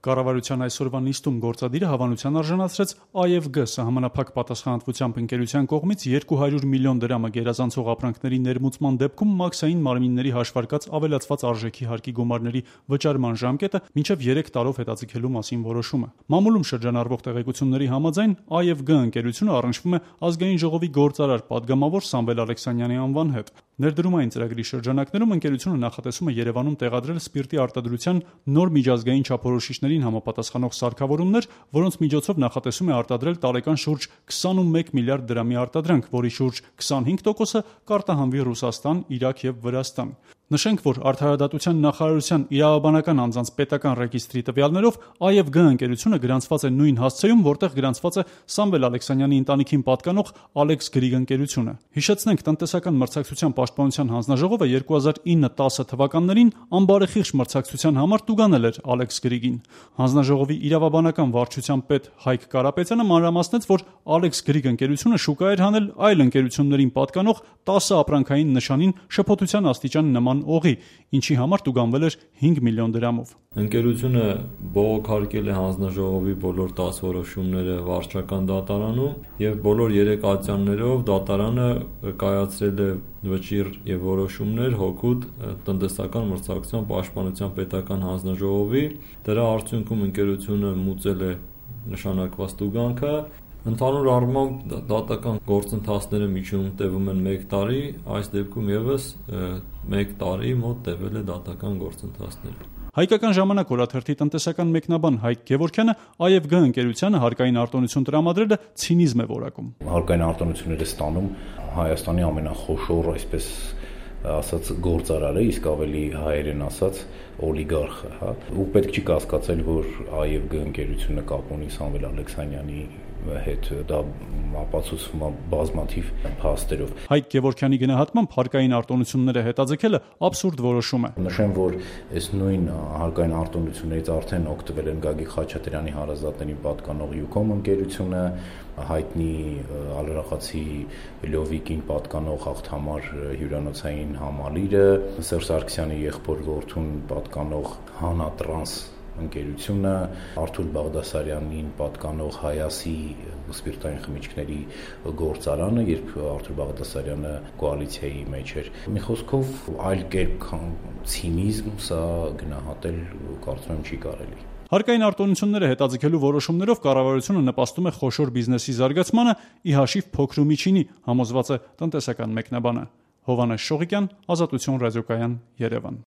Կառավարության այսօրվա նիստում գործադիրը հավանության արժանացրեց AEVG սահմանափակ պատասխանատվությամբ ընկերության կողմից 200 միլիոն դրամը գերազանցող ապրանքների ներմուծման դեպքում մաքսային մարմինների հաշվարկած ավելացված արժեքի հարկի գումարների վճարման ժամկետը մինչև 3 տարով հետաձգելու մասին որոշումը։ Մամուլում շրջանառվող տեղեկությունների համաձայն AEVG ընկերությունը առնչվում է Ազգային ժողովի գործարար падգամավոր Սամվել Ալեքսանյանի անվան հետ։ Ներդրումային ծրագրի շրջանակներում ընկերությունը նախատեսում է Երևանում տեղադրել սպիրտի արտադրության նոր միջազգային չափորոշիչներին համապատասխանող սարքավորումներ, որոնց միջոցով նախատեսում է արտադրել տարեկան շուրջ 21 միլիարդ դրամի արտադրանք, որի շուրջ 25%-ը կարտահանվի Ռուսաստան, Իրաք եւ Վրաստան։ Նշենք, որ Արդարադատության նախարարության իրավաբանական անձանց պետական ռեգիստրի տվյալներով AEVG ընկերությունը գրանցված է նույն հասցեում, որտեղ գրանցված է Սամվել Ալեքսանյանի ընտանիքին պատկանող Alex Greek ընկերությունը։ Հիշեցնենք, տնտեսական մրցակցության պաշտպանության հանձնաժողովը 2009-10 թվականներին անբարեխիղճ մրցակցության համար տուգանել էր Alex Greek-ին։ Հանձնաժողովի իրավաբանական վարչության պետ Հայկ Կարապետյանը մանրամասնեց, որ Alex Greek ընկերությունը շուկա էր հանել այլ ընկերություններին պատկանող 10 ապրանքային նշանին շփոթության աստիճան նման օղի, ինչի համար տուգանվել էր 5 միլիոն դրամով։ Ընկերությունը բողոքարկել է հանձնաժողովի բոլոր 10 որոշումները վարչական դատարանում եւ բոլոր 3 ատյաններով դատարանը կայացրել է վճիռ եւ որոշումներ հօգուտ տնտեսական մրցակցության պաշտպանության պետական հանձնաժողովի։ Դրա արդյունքում ընկերությունը մուծել է նշանակված տուգանքը։ Ընդհանուր առմամբ դատական գործընթացները միջինում տևում են 1 տարի, այս դեպքում եւս 1 տարի մոտ տևել է դատական գործընթացները։ Հայկական ժամանակ օրաթերթի տնտեսական մեկնաբան Հայկ Գևորգյանը AEVG ընկերությանը հարկային արտոնություն տրամադրելը ցինիզմ է որակում։ Հարկային արտոնությունները ստանում Հայաստանի ամենախոշոր, այսպես ասած, գործարարը, իսկ ավելի հայերեն ասած օլիգարխը, հա։ Ու պետք չի կասկածել, որ AEVG ընկերությունը կապ ունի Սամվել Ալեքսանյանի հետ, դա ապացուցվում է բազմաթիվ փաստերով։ Հայկ Գևորգյանի գնահատմամբ հարկային արտոնությունները հետաձգելը աբսուրդ որոշում է։ Նշեմ, որ այս նույն հարկային արտոնություններից արդեն օգտվել են Գագիկ Խաչատրյանի հարազատներին պատկանող Յուկոմ ընկերությունը, հայտնի Ալրախացի Լովիկին պատկանող Հաղթամար հյուրանոցային համալիրը, Սերժ Սարգսյանի եղբոր որդուն պատկանող Հանա Տրանս ընկերությունը, Արթուր Բաղդասարյանին պատկանող Հայասի սպիրտային խմիչքների գործարանը, երբ Արթուր Բաղդասարյանը կոալիցիայի մեջ էր։ Մի խոսքով, այլ կերպ քան ցինիզմ, սա գնահատել կարծում եմ չի կարելի։ Հարկային արտոնությունները հետաձգելու որոշումներով կառավարությունը նպաստում է խոշոր բիզնեսի զարգացմանը, ի հաշիվ փոքր ու միջինի, համոզված է տնտեսական մեկնաբանը։ Հովհաննես Շողիկյան, Ազատություն ռադիոկայան, Երևան։